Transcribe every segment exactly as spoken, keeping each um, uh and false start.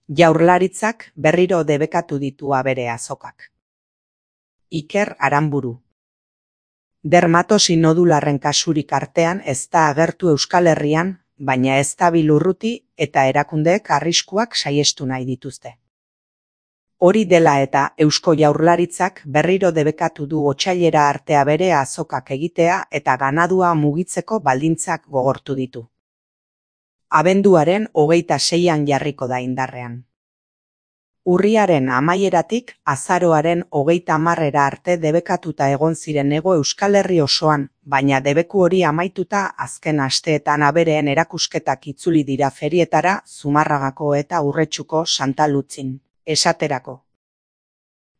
Jaurlaritzak berriro debekatu ditu abere azokak. Iker Aranburu. Dermatosi nodularren kasurik artean ez da agertu Euskal Herrian, baina ez da bilurruti eta erakundeek arriskuak saihestu nahi dituzte. Hori dela eta Eusko Jaurlaritzak berriro debekatu du otsailera arte abere azokak egitea eta ganadua mugitzeko baldintzak gogortu ditu. Abenduaren hogeita seian jarriko da indarrean. Urriaren amaieratik azaroaren hogeita hamarrera arte debekatuta egon ziren hego Euskal Herri osoan, baina debeku hori amaituta azken asteetan abereen erakusketak itzuli dira ferietara Zumarragako eta Urretxuko Santa Lutzin, esaterako.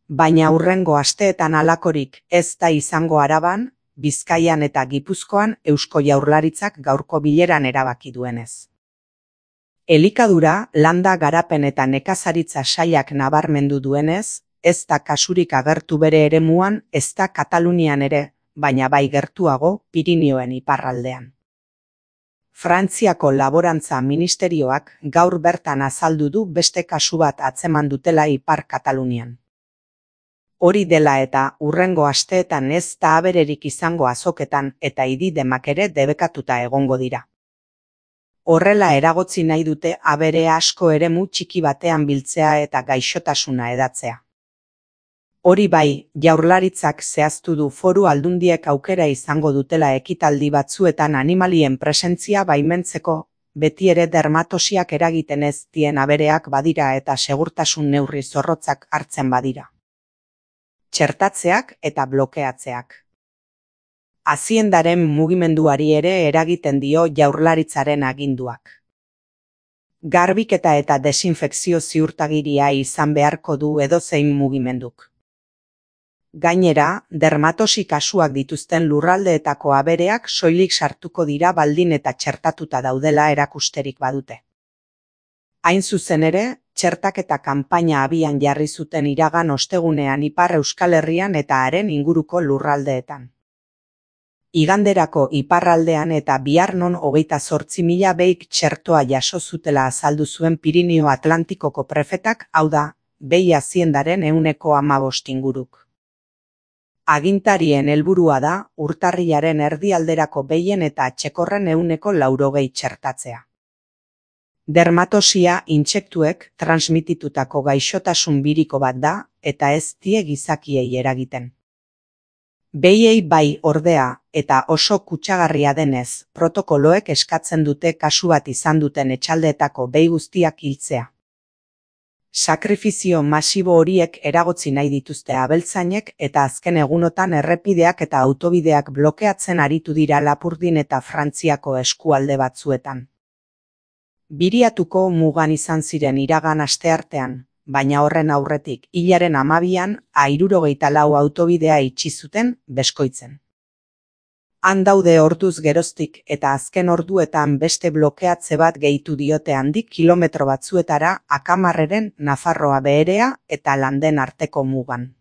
Baina hurrengo asteetan halakorik ez da izango Araban, Bizkaian eta Gipuzkoan Eusko Jaurlaritzak gaurko bileran erabaki duenez. Elikadura, landa garapen eta nekazaritza sailak nabarmendu duenez, ez da kasurik agertu bere eremuan, ez da Katalunian ere, baina bai gertuago Pirinioen iparraldean. Frantziako Laborantza Ministerioak gaur bertan azaldu du beste kasu bat atzeman dutela Ipar Katalunian. Hori dela eta hurrengo asteetan ez da abererik izango azoketan eta ididemak ere debekatuta egongo dira. Horrela eragotzi nahi dute abere asko eremu txiki batean biltzea eta gaixotasuna edatzea. Hori bai, Jaurlaritzak zehaztu du foru aldundiek aukera izango dutela ekitaldi batzuetan animalien presentzia baimentzeko, beti ere dermatosiak eragiten ez dien abereak badira eta segurtasun neurri zorrotzak hartzen badira. Txertatzeak eta blokeatzeak. Haziendaren mugimenduari ere eragiten dio Jaurlaritzaren aginduak. Garbiketa eta desinfekzio ziurtagiria izan beharko du edozein mugimenduk. Gainera, dermatosi kasuak dituzten lurraldeetako abereak soilik sartuko dira baldin eta txertatuta daudela erakusterik badute. Hain zuzen ere, txertaketa kanpaina abian jarri zuten iragan ostegunean Ipar Euskal Herrian eta haren inguruko lurraldeetan. Iganderako iparraldean eta bihar non hogeita zortzi mila beik txertoa jaso zutela azaldu zuen Pirinio Atlantikoko prefetak, hau da, behi haziendaren ehuneko hamabost inguruk. Agintarien helburua da urtarrilaren erdialderako behien eta atxekorren ehuneko laurogei txertatzea. Dermatosia intsektuek transmititutako gaixotasun biriko bat da eta ez die gizakiei eragiten. Behiei bai ordea eta oso kutsagarria denez, protokoloek eskatzen dute kasu bat izan duten etxaldeetako behi guztiak hiltzea. Sakrifizio masibo horiek eragotzi nahi dituzte abeltzainek eta azken egunotan errepideak eta autobideak blokeatzen aritu dira Lapurdin eta Frantziako eskualde batzuetan. Biriatuko mugan izan ziren iragan asteartean, baina horren aurretik hilaren hamabian hirurogeita lau autobidea itxi zuten Beskoitzen. Han daude orduz geroztik eta azken orduetan beste blokeatze bat gehitu diote handik kilometro batzuetara Akamarreren Nafarroa Beherea eta Landen arteko mugan.